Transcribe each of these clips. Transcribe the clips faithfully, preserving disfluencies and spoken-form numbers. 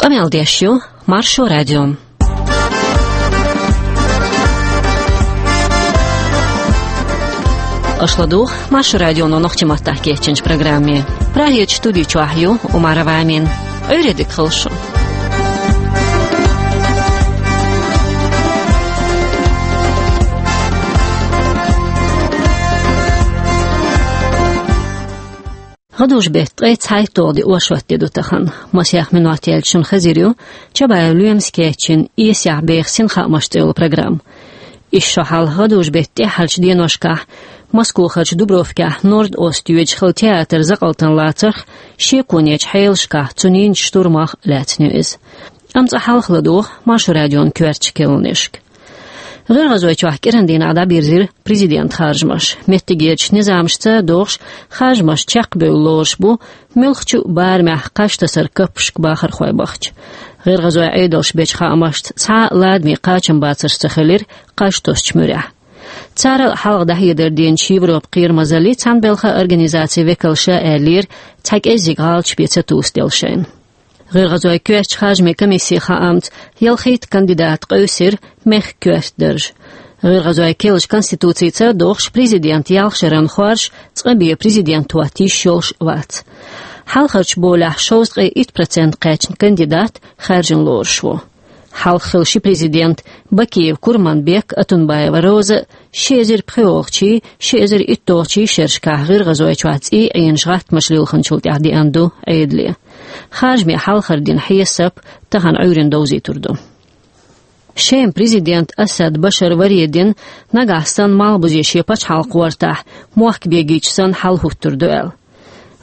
Къамел деш ю Маршо радио. Аша ладугӀу Маршо радионо нохчийн маттахь кечйинчу программе. Прагерчу студи чохь ю Умарова Амина. Ӏуьйре дика хуьлда шун. ГӀадужу-беттан ткъе цхьайтталгӀа де оршот де ду тахана. Масех минот яьлча шуна хезар ю Чабаев Лоьмас кечйина «Эсехь беха синхаамаш» цӀе йолу программа. Исс шо хьалха гӀадужу-беттан тӀаьххьарчу деношкахь Москохарчу Дубровкехь норд-ост йоьдуш хилла театр закъалтана лацарх, шеконечу хьелашкахь цу ненан штурмах лаьцна ю иза. Амма цкъа хьалха ладугӀу Маршо радион коьртачу кхаьънашка. ГӀиргӀазойчохь кӀиран дийнахь дӀабирзира президентан харжамаш. Меттигерчу низамашца догӀуш, харжамаш чекхбевлла лоруш бу муьлххачу барамехь кхаж тасаран каппашка бахархой бахча. ГӀиргӀазойн Ӏедалша бечу хаамашца, цхьа а ладаме кхачамбацарш ца хилира кхаж тосучу муьрехь. Царал а хьалха дӀахьедар деначу Европан кхерамазаллин цхьаьна белхан организацин векалша аьллера, цхьа кӀеззиг гӀалаташ бен ца тосаделла шайна. ГӀиргӀазойн коьртачу харжамийн комиссин хаамца, ялхитта кандидат къевсира мехкан коьрта дарж. ГӀиргӀазойн керлачу конституцица догӀуш, президентан ялх шарна хоржуш, цкъа бен президент хӀотта йиш йолуш вац. Хьалхарчу болехь шовзткъе итт процент кхаьчна кандидат хаьржина лоруш ву. Хьалха хилла ши президент, Бакиев Курманбек а, Отунбаева Роза а, ши эзар пхоьалгӀачийн, ши эзар итталгӀачийн шерашкахь ГӀиргӀазойчохь цӀий Ӏенаш гӀаттамаш лилхинчул тӀаьхьа деана ду Ӏедале. Харжамийн хьалхара дийнан хьесап тахана Ӏуьйранна довзуьйтур ду. Шеман президент Асад Башар варе дина, нагахь санна малхбузе шен пачхьалкх гӀортахь, мохк бегийча санна хьал хӀуттур ду аьлла.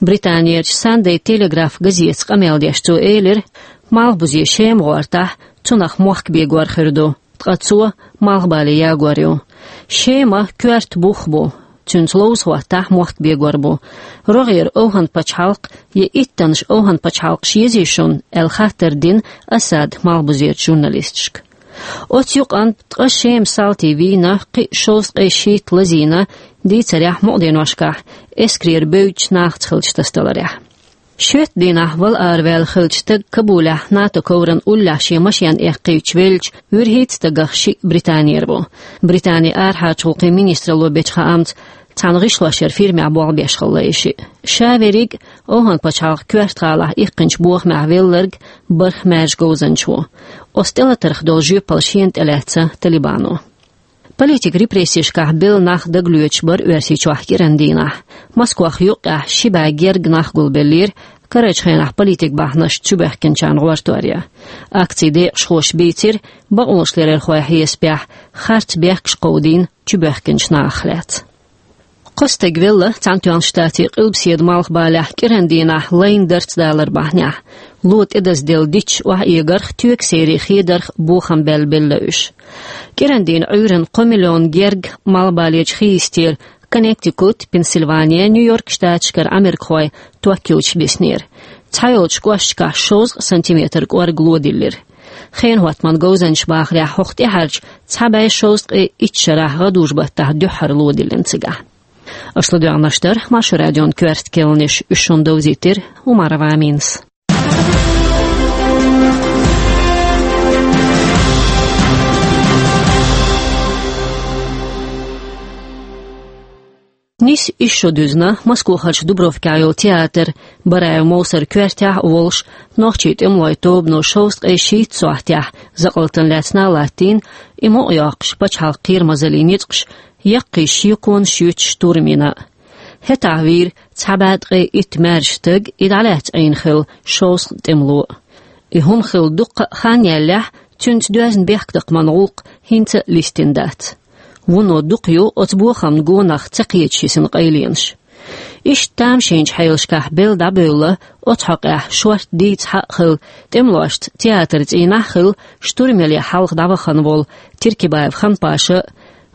Британерчу Sunday Telegraph газетаца къамел деш цо элира, малхбузе Шема гӀортахь, цунах мохк бегор хир ду, ткъа цо малхбале ягор ю. Шема коьрта бух бу, цуьнца ловза хӀоттахь мохк бегор бу. РогӀера ОвхӀан-пачхьалкх я иттаннаш ОвхӀан-пачхьалкхаш езий шуна аьлла хаттар дина Асада малхбузерчу журналисташка. Оцу юкъанна ткъа Шема салтий вийна, кхин а шовзткъе шийтта лазийна, дийцарехь мукъаденошкахь эскарера бевддачу нахаца хиллачу тасадаларехь. Шоьтан дийнахь вала араваьлла хиллачу стага Кабулехь НАТО ковран уллехь шен машен эккхийтича веллачу вуьрхӀитта стагах шиъ Британера ву. Британин арахьарчу гӀуллакхийн министралло бечу хаамца, цхьана гӀишлошъяран фирмехь болх беш хилла и шиъ. Ша верриг а ОвхӀан-пачхьалкхан коьрта гӀалахь иккхинчу бохамехь велларг бархӀ маьрша говзанча ву. Оцу тӀелатарх долу жоьпалла шена тӀелаьцна Талибано. Политикан репрессешкахь белла нах дагалоьцуш бара Оьрсийчохь кӀиран дийнахь. Москох юккъехь ши бӀе гергга нах гулбеллера, карарчу хенахь политикан бахьанашца чубоьхкинчарна гӀортор ян. Акцин декъашхоша бийцира бакъонашларъярхойн хьесапехь харц бехкаш кховдийна чубоьхкинчу нахах лаьцна. Кхо стаг велла Цхьаьнатоьхначу Штатийн къилбаседа малхбалехь кӀиран дийнахь лайна дарц далар бахьанехь. Ло тӀедазделла дитташ охьаэгарх, тоьган серий хедарх бохам баьлла белла уьш. КӀиран дийнан Ӏуьйранна кхо миллион гергга малхбалечу хи йистера Коннектикут, Пенсильвания, Нью-Йорк штаташкара америкахой ток йоцуш биснера. Цхьайолчу кӀошташкахь шовзткъа сантиметр кӀорга ло диллира. Хенан хӀоттаман говзанчаша бахарехь, хӀокху тӀаьхьарчу цхьа бӀе шовзткъе итт шарахь гӀадужу-баттахь дуьххьара ло диллина цигахь. Аша ладоьгӀнарш дара Маршо радион коьрта кхаьънаш, уьш шуна довзийтира Умарова Аминас. Нийсса исс шо дуьзна Москохарчу Дубровкехь йолу театр Бараев Мовсар коьртехь а волуш, нохчийн тӀемалойн тобано шовзткъе шийтта сохьтехь закъалтана лаьцна а латтийна, и мукъайоккхуш пачхьалкхан кхерамазаллин ницкъаш яккхий шеконаш юьтуш штурм йина. ХӀетахь вийра цхьа бӀе ткъе итт маьрша стаг, и дӀалаьцна Ӏийна хилла шовзткъа тӀемало. И хӀума хилла дуккха а хан яьллехь, цуьнца доьзна бехктакхаман гӀуллакх хӀинца а листина дац. Вуно дукха ю оцу бохамна гонах ца кхеташ йисина къайленаш. Иштта тамашийначу хьелашкахь белла дӀабевлла, оцу хьокъехь шорта дийца хьакъ хилла, тӀемалошца театр цӀийнахь а хилла, штурм яле хьалха дӀавахана волу Тиркибаев Ханпаша а,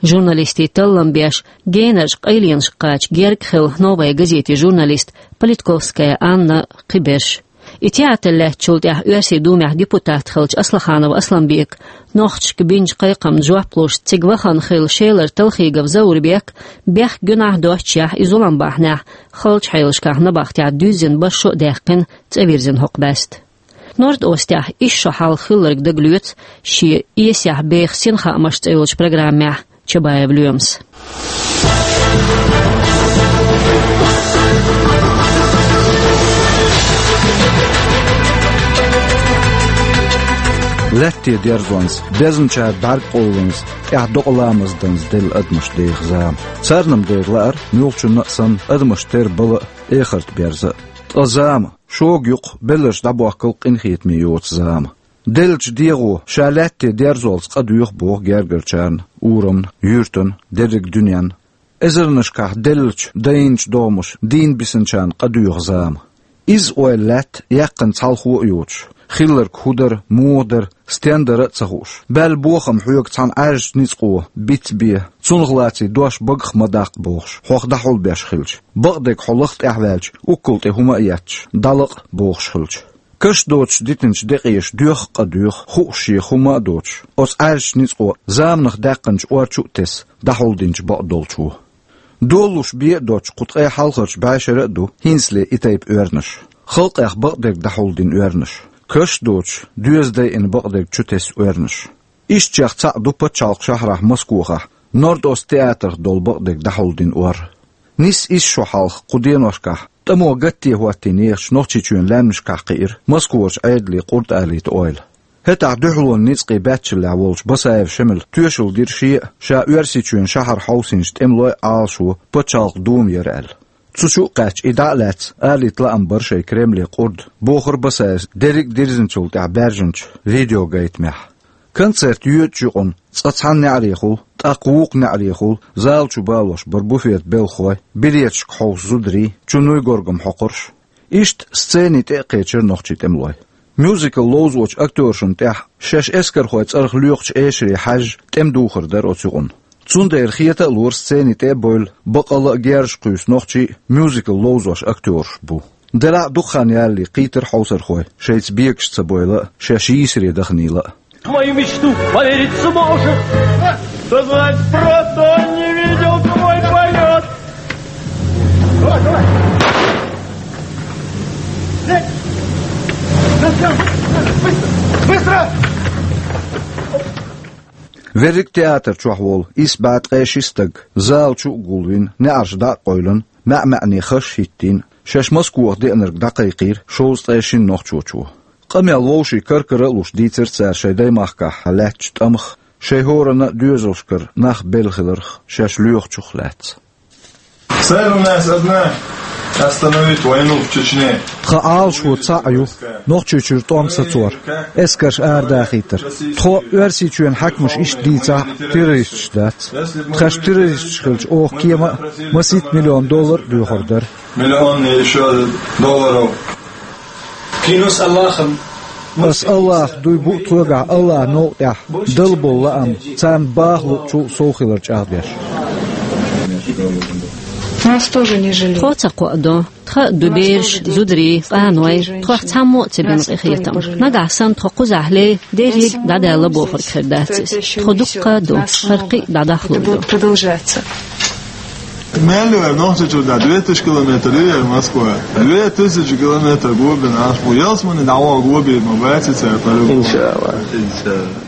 журналистийн таллам беш, генарчу къайленашка кхача герга хилла «Новая газетин» журналист Политковская Анна а, кхиберш. И театр лаьттачул тӀаьхьа Оьрсийн Думехь депутат хиллачу Аслаханов Асламбека нохчашка бинчу кхайкхамна жоп луш, цига вахана хилла Шелара Талхигов Заурбек, бехк-гуьнахь доццушехь, и зулам бахьанехь халчу хьелашкахь набахтехь дуьззина бархӀ шо а даьккхина, цӀа вирзина хӀокху бӀаьста. Норд-Остехь исс шо хьалха хилларг дагалоьцу шен «Эсехь беха синхаамаш» цӀе йолчу программехь Чабаев Лоьмас. Лаьттан дерзонца, безначара бӀаьргакъовланца, тӀехь докъа ламаз данца делла адамаш деха зама. Царна-м дера лаара, муьлххачунна а санна, адамаш тера бала а, эхарт берза а. Ткъа зама, шога юккъе белларш дӀабохкал къинхетаме йоцу зама. Деллачу дегӀо ша лаьттан дерзолца къа доьху боху гергарчарна, урамна, юьртана, дерриг дуьненна. Эзарнашкахь деллачу, дайначу догӀмаша дийна бисинчарна къа доьху зама. Изза ойла лаьтта, яьккхина цхьалхо а йоцуш, хилларг хӀун дара, муха дара, стен дара а ца хууш, баьлла бохам хьоьга цхьана Ӏаьржачу ницкъо биц бен, цунах лаций дош багах ма даккха бохуш, хьох дӀахьулбеш хилча, бакъдерг хьо лаха тӀаьхьаваьлча, уккал тӀе хӀума а етташ, дӀалакъа бохуш хилча. Каш доцуш дитинчу декъеша доьху а къа доьху, хууш шех хӀума а доцуш, оцу Ӏаьржачу ницкъо заманах даьккхинчу ор чу а тесна, дӀахьулдинчу бакъдолчо. Долалуш бен а доцуш, кху ткъе хьалхарчу бӀешара а ду хӀинцале и тайпа оьрнаш. Халкъех бакъдерг дӀахьулдина оьрнаш. Каш доцуш, доьза дайина бакъдерг чу тесна оьрнаш. Ишттачех цхьаъ ду пачхьалкхан шахьарахь Москохахь, Норд-Ост театрах долу бакъдерг дӀахьулдина ор. Нисса исс шо хьалха кху деношкахь, тӀамо гатте хӀоттийна ехачу Нохчийчоьнан лаьмнашкахь кхиира Москварчу Ӏедалийн къурд алийта ойла. ХӀетахь дуьхьалонан ницкъийн баьччаллехь волчу Басаев Шемала тоьшалла дира шен а, ша Оьрсийчоьнан шахьар хьовсийначу тӀемалойн а Ӏалашо пачхьалкхан дума яра аьлла. Цу чу а кхаьчча, и дӀа а лаьцна, алийта лаам бара шайн Кремле къурд, бохура Басаевс дерриг а дирзинчул тӀаьхьа баьржинчу видеогайтамехь. Концерт йоьдучу юкъана цкъа цхьана неӀарехула, тӀаккха вукху неӀарехула зала чу балош бара буфетан белхахой, береташка хьовса зударий, чу нуй-горгам хьокхурш. Иштта сценин тӀе а кхечира нохчийн тӀемалой. Мюзикл ловзочу актёршна тӀехь шаьш эскархойн цӀарах лоькхучу эшаре хьаьжжа тӀеман духар дара оцу юкъана. Цундела хета а лора сценин тӀе а бевлла, бакъалла а герзаш кхуьйсу нохчий а мюзикл ловзош актёрш бу. Делахь а дукха хан ялале кхийтира хьовсархой, шайца бегаш ца бевлла а, шаьш йийсаре даханийла а. Мою мечту поверить сможешь? Что значит просто он не видел твой полет? Давай, давай. Лезь! Быстро! Быстро! Верриг театр чохь волу исс бӀе ткъе ши стаг зала чу а гулвина, неӀарш дӀа а къевлина, маьӀ-маьӀне хаш а хӀиттийна, шаьш Москвахь деанарг дӀакхайкхийра шовзткъе шина нохчочо. Къамел вовшийн кар-кара а луш дийцира цара шайн даймахкахь лаьттачу тӀамах, шайн хӀоранна а доьзалшкара нах белла хиларх, шаьш лоьхучух лаьцна. Цель у нас одна: остановить войну в Чечне. Тхан Ӏалашо цхьаъ ю: Нохчийчуьра тӀом сацор, эскарш арадахийтар. Тхо, Оьрсийчоьнан хьаькамаш иштта дийцахь а, террористаш дац. Тхаьш террористаш хилча, оха кема а, масийтта миллион доллар а доьхур дара. Миллион и ещё долларов. Клянусь Аллахом. Ас Аллахах дуй бу тхоьгахь Аллахьан новкъа тӀехь дала болу лаам, царна баха луучул сов хилар чӀагӀдеш. Нас тоже не жалеют. Тхо ца кхоадо. Тхан а ду бераш, зударий, къаной, тхох цхьаммо а ца бина къинхетам. Нагахь санна тхо кхузахь лей, дерриг а дӀадаьлла бохург хир дац иза. Тхо дуккха а ду, хӀара кхин а дӀадахлур ду. Продолжается. Мел вара Нохчийчуьра две тысячи километр ю яра Москва. Две тысячи километр гобина Ӏаш бу. Ялсамане дӀаваха гобийр ма бац цара по-любому. Иншаллах. Иншаллах.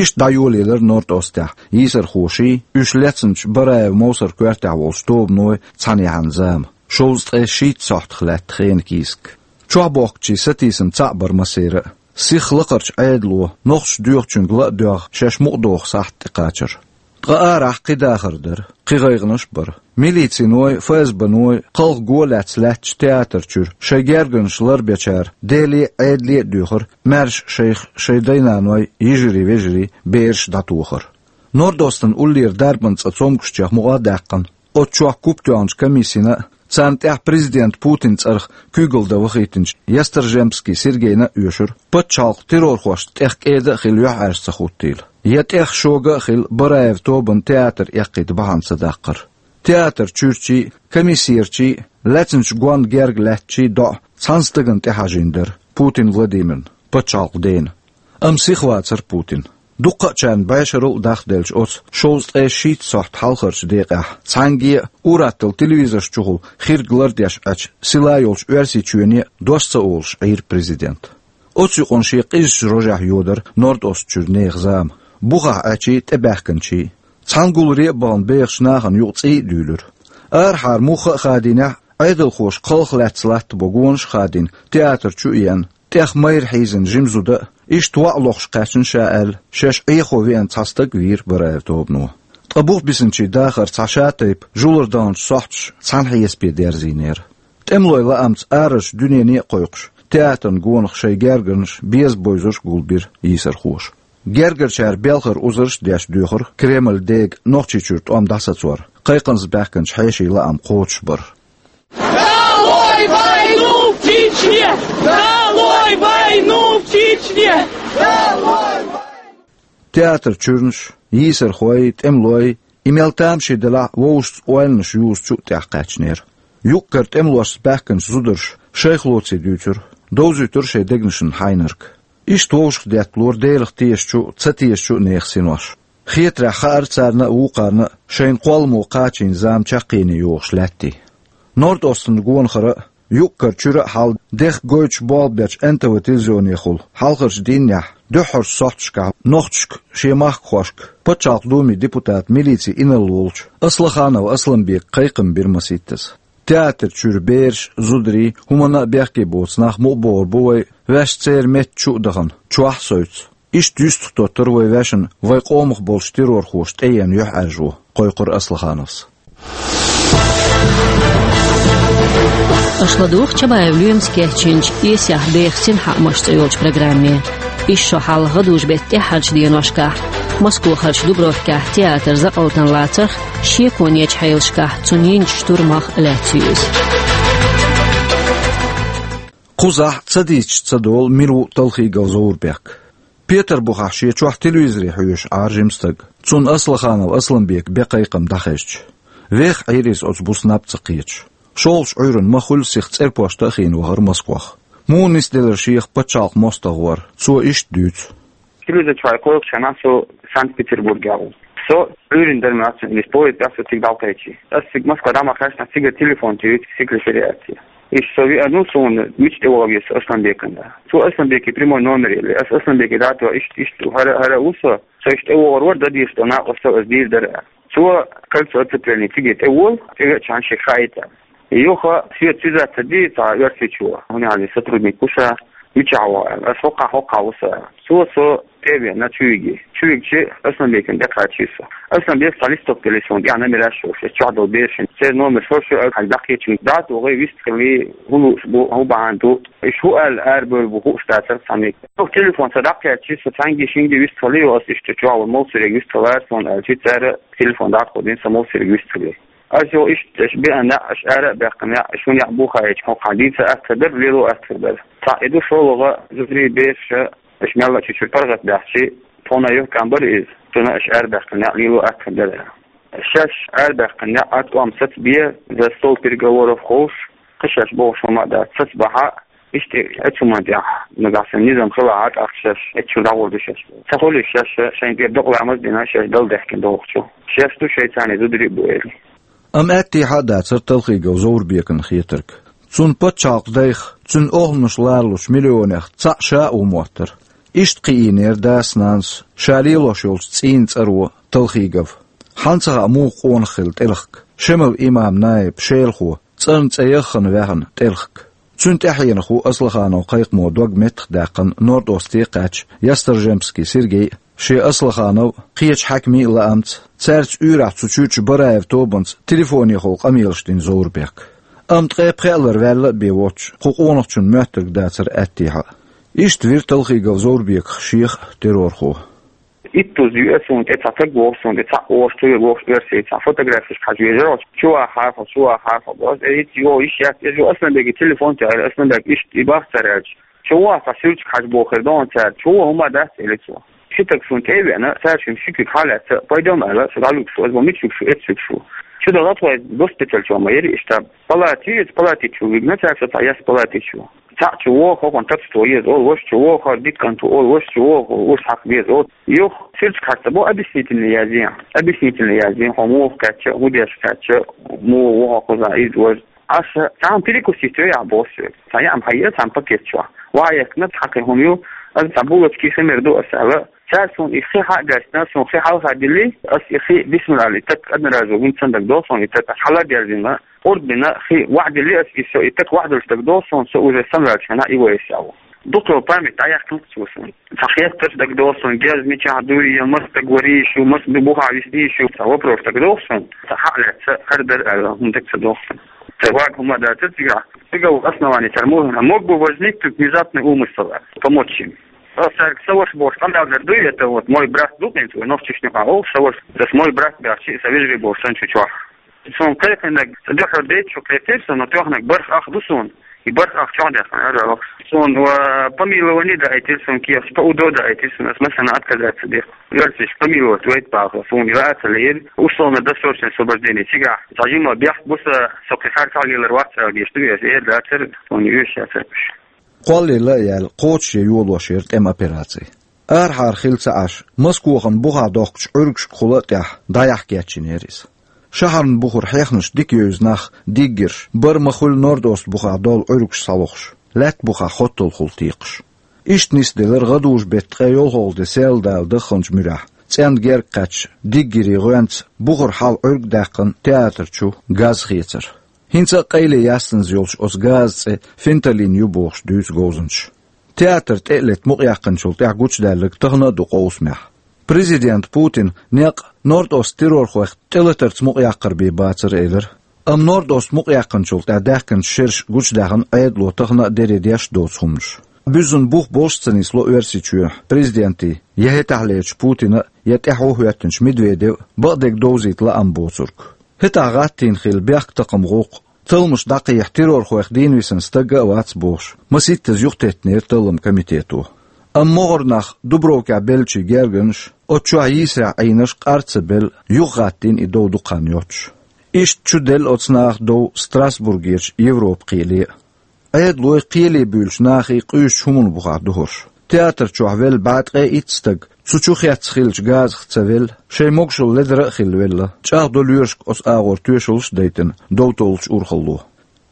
Иштта дӀайолаелира Норд-Остехь йийсархоший, уьш лецначу Бараев Мовсар коьртехь волчу тобаной цхьаьнаяхьан зама, шовзткъе шийтта сохьтах лаьтта хенан кийсак. Чохь бохкучийн сатийсам цхьаъ бара массеран а. Сиха лакхарчу Ӏедало, нохчаша доьхучуьнга ла а доьгӀна, шаьш мукъадоху сахьт тӀекхачара. Ткъа арахь кхин дахар дара, кхин гӀайгӀанаш а бара. Милициной, ФСБ-ной кхалха го лаьцна лаьттачу театр чуьра шайн гергарнаш ларбечара Деле а, Ӏедале а доьхура маьрша шайх шайн дай-наной, йижарий-вежарий, бераш дӀатохар. Норд-Остан уллера дарбан цӀа цомгушчех мукъа а даьккхина, оцу чохь куп тоьхначу комиссина а, царна тӀехь президент Путин цӀарах куьйгалла дан вахийтинчу Ястржемский Сергейна а оьшура, пачхьалкх террорхошна тӀех кӀеда а хила юьхьӀаьржа ца хӀуттийла, я тӀех шога а хила Бараев тобанна театр эккхийта бахьана ца даккхара. Театр чуьрчий а, комиссерчий а, лаьцначу гонна герга лаьттачий а доӀа цхьана стагана тӀехьажийна дара: Путин Владимирна, пачхьалкхан дена. Амма сиха вацара Путин. Дуккха а чарна бӀешарал а дахделча оцу шовзткъе шийтта сохьта хьалхарчу декъехь, цхьаьнгге а, ур-атталла телевизорш чухула хирг лардеш Ӏачу сила йолчу Оьрсийчоьне а дош ца олуш Ӏийра президент. Оцу юкъана шен къизачу рожехь йодара Норд-Ост чуьра нехан зама. Бухахь Ӏачий, тӀебаьхкинчий. Цхьана гуларе а бахана бехачу нахана юкъа цӀий а дуьйлира. Арахьара муха а хадийнехь, Ӏедалхоша кхалха лаьцна латтабо гонаш а хадийна, театр чу а еана, тӀех майра хьийзина жима зуда а, иштта воӀ лохуш кхаьчна ша аьлла, шаьш Ӏехо веана цхьа стаг а вийра Бараев тобано. Ткъа бух бисинчийн дахар цхьа шатайпа, жулар даханчу сохьташа цхьана хьесапе дерзийнера. ТӀемалойн лаамца арарчу дуьнене а кхойкхуш, театран гонах шайн гергарнаш беза бовзарш а гулбира йийсархоша. Гергарчара белхар узарш а деш доьхура Кремль дега Нохчийчуьра тӀом дӀасацор, кхайкхамца баьхкинчу хьешийн лаам кхочушбар. Долой войну в Чечне! Долой войну в Чечне! Долой войну! Театр чуьрнаш, йийсархой, тӀемалой, и мел тамашийна делахь а, вовшашца ойланаш юзучу а тӀехь кхаьчнера. Юккъера тӀемалошца баьхкинчу зударша шайх лоций дуьйцура, довзуьйтура шайн дегнашна хьайнарг. Иштта вовшах детталора Делах тешачу а, ца тешачу а нехан синош. Хетарехь хаьара царна а, вукхарна а шайна кхолламо кхачийна зама чаккхене йогӀуш лаьттий. Норд-Остан гонахара а, юккъера чуьра а хьал дех гойтуш болх бечу Н Т В телевизионехула хьалхарчу дийннехь дуьххьарчу сохьташкахь нохчашка, шен махкахошка, Пачхьалкх Думин депутата, милицин инарла волчу Аслаханов Асламбека кхайкхам бира масийттаза. Театр чуьра бераш а, зударий а, хӀуманна а бехке боцу нах мукъа богӀур бу вай, ваьш церан метта чу а дахана, чохь а совцу. Иштта юьстах тоттура вай ваьшна вай къомах болчу террорхоша тӀееана юьхьӀаьржо, кхойкхура Аслахановс. Аша ладугӀу Чабаев Лоьмас кечйинчу «Эсех деха синхаамаш» цӀе йолчу программе. Иза шо хьалха гӀадужу-беттан тӀаьххьарчу деношкахь, Москохарчу Дубровкехь театр закъалтана лацарх, шеконечу хьелашкахь цунна йинчу штурмах а лаьцна ю иза. Кхузахь ца дийцича ца долу мила ву Талхигов Зоврбек. Петарбухахь шен чохь телевизоре хьоьжуш Ӏара жима стаг, цунна Аслаханов Асламбекан бен кхайкхам дӀахезча. Веха Ӏийра иза оцу буса наб ца кхеташ. ШолгӀачу Ӏуьйранна ма хуьллу сиха цӀерпошта а хиъна вахара Москох. Муха нисделира шех пачхьалкхан мостагӀа вар, цо иштта дуьйцу. Телевизор чохь кхойкхучу хенахь со Санкт-Петербургехь ву. Со Ӏуьйранна дара моьтту, иза поезд тӀехь со цига дӀакхаьччи. Ас цига Москва дӀа ма кхаьчнехь, цигара телефон туьйцу секретариате. Иштта со веана ву, суна мича тӀевогӀу еза со Асланбекана. Цо Асланбеке прямой номер елли. Ас Асланбеке дӀатоьхна, иштта, иштта, хӀара, хӀара а ву со, со иштта тӀевогӀур вара, дан дезаш долу накъост со, ас дийр дара. Цо кольцо оцепления цига тӀеволу, тӀе а чан шега хаийта. Юха свет связаться ди цхьа оьрсичо, хӀунда аьлча сотрудник ву ша, мичахь ву аьлла. Ас хӀокхахь, хӀокхахь ву сан. Цо со тӀе а веана чу виги. Чу вигчи Асланбекана тӀекхачи со. Асланбека цхьа листок делира суна тӀехь номераш йолуш, ас чохь долу берашна. Церан номерш хӀорш ю, ас хьайга дӀакхечира. ДӀа а тохий, вист хилли, хӀун лууш бу, хӀун бахьана ду. Иш хӀун аьлла арабевлла бу хууш дацара цхьаьнниг. Юха телефон сан дӀакхаьччи, со цхьаьнгге-шинге вист хилли, ас иштта чохь волу Молсериг вист хилара суна аьлчи, цара телефон дӀатаходина, сан Молсериг вист хилли. Ас юха иштта, аш беана, аш ара а баьккхина, аш хӀун яхь бу хаийча, хӀокхахь дийца аьттар дара, лело аьттар дара. Цхьаъ и ду, шолгӀа, зударий, бераш, аш мелла а чу чуьра паргӀат баьхчи, тхуна юха кам бара иза, цунна аш ара баьккхина, лело аьттар дара. Шаьш ара баьккхина, а тӀом саца бе, за стол переговоров ховш, кхин шаьш бохуш хӀума а дац, саца бахьа, иштта, оцу хӀуманна тӀехь, нагахь санна низам хилахь, тӀаккха шаьш оцу чу дӀагӀур ду шаьш. Ца хуьлуш шаьш, шайна тӀера докъа ламаз а дина, шаьш Далла даьхкина дохучу. Шаьш ду шайн царна зударий а бу, элира. Амма аьттехьа а дацара Талхигов Зоврбекана хетарг. Цунна пачхьалкх дайх, цуьнан охӀланаш ларалучу миллионех цхьаъ ша а ву моттара. Иштта кхиийнера дас-нанас ша лелош йолчу цӀийнан цӀаро Талхигов. Хьан ца хаьа муха къонах хилла тӀелхиг, Шемал имам наиб, шелахо, цӀарна цӀе яххана ваьхна тӀелхиг. Цуьнан тӀаьхьенах ву Аслаханов кхайкхамо дог меттахдаьккхина Норд-Осте кхаьчна Ясторжемский Сергей а, шен Аслаханов а, кхечу хьаькамийн а лаамца, цаьрца уьйрахь цу чуьрчу Бараев тобанца телефонехула къамелаш дина Зоврбек. Амма ткъе пхеа лар ваьлла а бен воцуш, кху къонахчун моьттург дацара аьттехьа а. Иштта вира Талхигов Зоврбеках шех а террорхо. Иттуза ю ас, суна тӀе цхьа стаг воху, суна тӀе цхьаъ вохуш, цуьнга вохуш оьрсий цхьа фотографеш хьажа везара, чу вахахьара хьо, чу вахахьара хьо боху. Ас, э, итт йо, йиш яц, иза ю Асланбеке телефон тӀе, Асланбек иштта и бах цара аьлча. Чу ваха цхьа суьртиг хьажа бохура догӀна цара, чу ваха хӀума дац, элира цо. Ши стаг суна тӀе а веана, цара шуна ши куьг хьалаьцна, пайдом аьлла, со дӀалуьгуш ву, ас боху, мича луьгуш ву, эцца луьгуш ву. Чу даха тхо, госпиталь чу ма яра иштта, палати, иза палати чу вигна цара со, цхьа яс палати чу. Цхьаъ чу воху, хӀокхунна тапсто еза олу, ваша чу воху, хӀара дитт кӀант ву олу, ваша чу воху, уьш хьакха деза олу. Юха суьртиг хьаста боху, объяснительный язъе. Объяснительный язъе, хьо муха кхаьчча, хӀун деш кхаьчча, муха ву хьо кхузахь, иза важа. Аса цхьаьна перекусить йой ахь боху соьга. Цхьа яа хьаеа цхьана пакет чохь. Ваха яьккхина цхьа кхин хӀума ю, аса цхьа булочка хи мер ду аса аьлла. Цара суна и хи хьа а гаьстина, суна хи хьалха дили, аса и хи бисмилла аьлла, и так одноразово, хӀинца сан дагадогӀу суна, и так аса хьала а дерзийна, къурд бина, хи ваха дили аса, и со, и так ваха долуш дагадогӀу суна, со уже самаваьллачу хенахь и вай аса аьлла. Дукха память дӀаяьккхина цо суна. Цхьа хеттарш дагадогӀу суна, герз мичахь дуй, я маса стаг варийш ю, маса ду бухахь виснийш ю, цхьа вопрос дагадогӀу суна. Цхьа хьа а лаьцна, хӀара дара аьлла, хӀума дага ца догӀу суна. Цхьа вага хӀума а дацара цигахь. Цигахь основание цара мо-, мог бы возникнуть внезапный умысел, помочь им. Аса цаьрга сан ваша бохуш къамел дар дуй, это вот мой брат ду хӀинца, вай нохчашна юкъахь олу сан ваша. Аса мой брат баьхча, сан вежарий бохуш сан чу чохь. Суна кхайкхинарг, дуьххьара дейтта шу кхайкхира суна, но тоьхнарг бархӀ ах ду суна. И бархӀ ах чохь даьккхина, ара вахаш. Суна, ва, помилование даийтира суна кехаташ, по УДО даийтира суна, аса массарна отказаться дира. Оьрсаша помиловать вайта бахара, суна и ваьа ца лиира, условно-досрочное освобождение. Цигахь цхьа жима бехк бу сан, со кхин харцахь лелар вац аьлла гечдо, аса эр дацара, суна оьшуш яцара уьш. Кхоллалла а яьлла, кхочушъян йолош яра тӀеман операци. Арахьара хилла ца Ӏаш, Москвахана бухахь дохкучу Ӏуьргашкахула а тӀехь дӀаяхьа кечйинера иза. Шахьарна бухара хьехнаш дика евза нах, диггерш, бара ма-хуьллу Норд-Ост бухахь долу Ӏуьргаш схьалохуш, лаьтта бухахь хотталгӀахула текхаш. Иштта нисделира гӀадужу-беттан ткъе йолхалгӀа де серладала даханчу муьрехь, цӀенна герга кхаьчча, диггерийн гӀоьнца бухара хьала Ӏуьрг а даьккхина театр чу газ хецар. ХӀинца а къайле яьсса йолчу оцу газан цӀе фенталин ю бохуш дуьйцу говзанчаша. Театр тӀе а летта мукъаяьккхинчул тӀаьхьа гучудаьлларг тахана а ду къовсамехь. Президент Путина некъ Норд-Ост террорхойх тӀелатарца мукъаяккхар бен бацара элира. Амма Норд-Ост мукъаяьккхинчул тӀаьхьа даьхкинчу шераш гучудаьхна Ӏедало тахана а дере деш а доцу хӀуманаш. Буьззина бух болуш а ца нисло Оьрсийчоьнан президентан, я хӀетахьлерчу Путинан, я тӀаьхьо хӀоьттинчу Медведеван бакъдерг довзийта лаам боцург. ХӀетахь гӀаттийна хилла бехктакхаман гӀуллакх, талламаш дӀакхехьа террорхойх дийна висина стаг а вац бохуш, масийттаза юхатеттинера талламан комитето. Амма могӀара нах Дубровкехь беллачийн гергарнаш, оцу чохь йийсарехь Ӏийнарш къар ца белла, юхагӀаттийна и дов дукха хан йоццуш. Иштта чу делла оцу наха дов Страсбургерчу Европан кхеле а. Ӏедалой, кхеле буьйлучу нахе къуьйсучу хӀуманна бухахь ду хӀорш. Театр чохь велла бӀе ткъе итт стаг цу чу хецна хиллачу газах ца велла, шайн могушалла ледара а хилла велла, чӀагӀдо лоьрашка оцу агӀор тоьшаллаш а дайтина дов толлучу урхалло.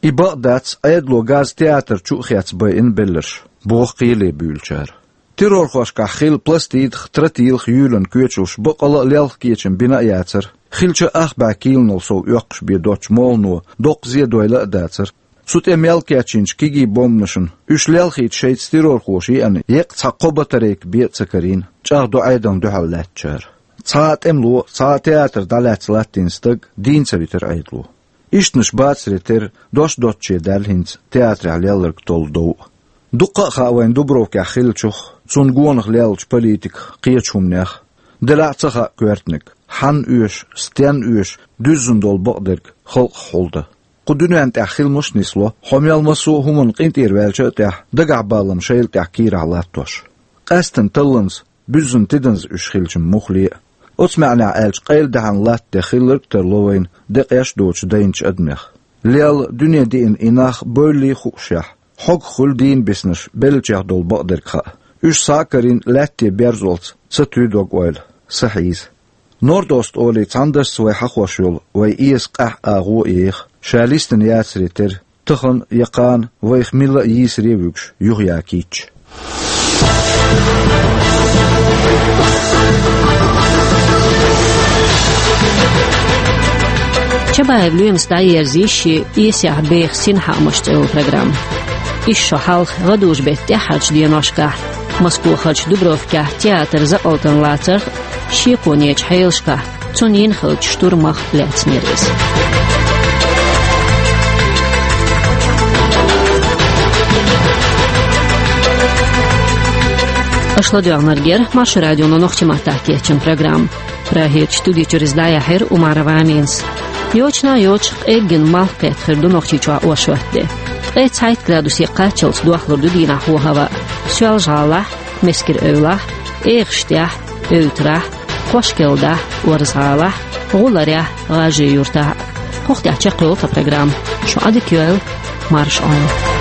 И бакъ дац, Ӏедало газ театр чу а хецна байина белларш, боху кхеле буьйлучара. Террорхошкахь хилла пластидах, тротилах юьйлина коьчалш бакъала а лелха кечам бина а яцара, хиллачу ах бӀе килонал сов оьккхуш бен доцучу молхано доккха зен дойла а дацара. Цу тӀе мел кечйинчу кегий бомбанашна, уьш лелхийта шайца террорхоша еана еккъа цхьа кхо батарейка бен а ца карийна, чӀагӀдо Ӏедална дуьхьал лаьттачара. Цхьа а тӀемало, цхьа а театр дӀалаьцна латтийна стаг дийна ца витира Ӏедало. Ишттанаш бацаре терра, дош доцче даьлла хӀинца театрехь лелларг толлу дов а. Дуккха а хаьа вайна Дубровкехь хиллачух, цунна гонах леллачу политиках, кхечу хӀуманех. Делахь а ца хаьа коьртаниг, хьанна оьшу, стенна оьшу дуьззина долу бакъдерг халкъах хьулдан. Кху дуьнен тӀехь хиламаш а нисло, хьо мел массо а хӀуманна къинтӀера ваьлча а тӀехь, дагахь балам шайла тӀехь кийрахь латтош. Къаьсттина талланца, буьззина тиданза уьш хилча муххале а. Оцу маьӀнехь аьлча, къайладаьхьна латта де хилларг а тарло вайна декъеш а доцучу дайначу адамех. Лелла, дуьне диъна и нах бевллий хуушехь, хьогах хуьлу дийна биснарш беллачех долу бакъдерг хаьа. Уьш схьа а карийна, лаьтте берзолц ца туьй дог-ойла, са хьийза. Норд-Ост олий цхьана дашца вай хьахош йолу вайн эса къаьхьа агӀо а еха, ша листина яцаре терра, тахана я кхана вайх милла а йийсаре а вуьгуш, юха яккхийтча. Чабаев Лоьмас дӀаерзийша шен «Эсехь беха синхаамаш» цӀе йолу программа. Ишшо хьалха гӀадужу-беттан тӀаьххьарчу деношкахь Москвахарчу Дубровкехь театр закъалтана лацарх а, шеконечу хьелашкахь цунна йина хиллачу штурмах лаьцнера иза. Аша ладоьгӀнарг яра Маршо радионо нохчийн маттахь кечйина программа. Прагерчу студи чуьра иза дӀаяьхьира Умарова Аминас. Йочана а йоцуш, къеггина малх кхетта хир ду Нохчийчохь оршот де. Ткъе цхьайтта градусе кхаччалц дохлур ду дийнахь хӀо-хӀаваъ. Соьлжа-ГӀалахь, Мескер-Эвлахь, ЭгӀаштӀехь, Эвтарахь, Кхошкелдахь, Орза-ГӀалахь, ГӀуларехь, ГӀажарий-Юртахь. Кху тӀехь чекхйолу тхан программа. Шу Ӏадика йойла, марша Ӏойла.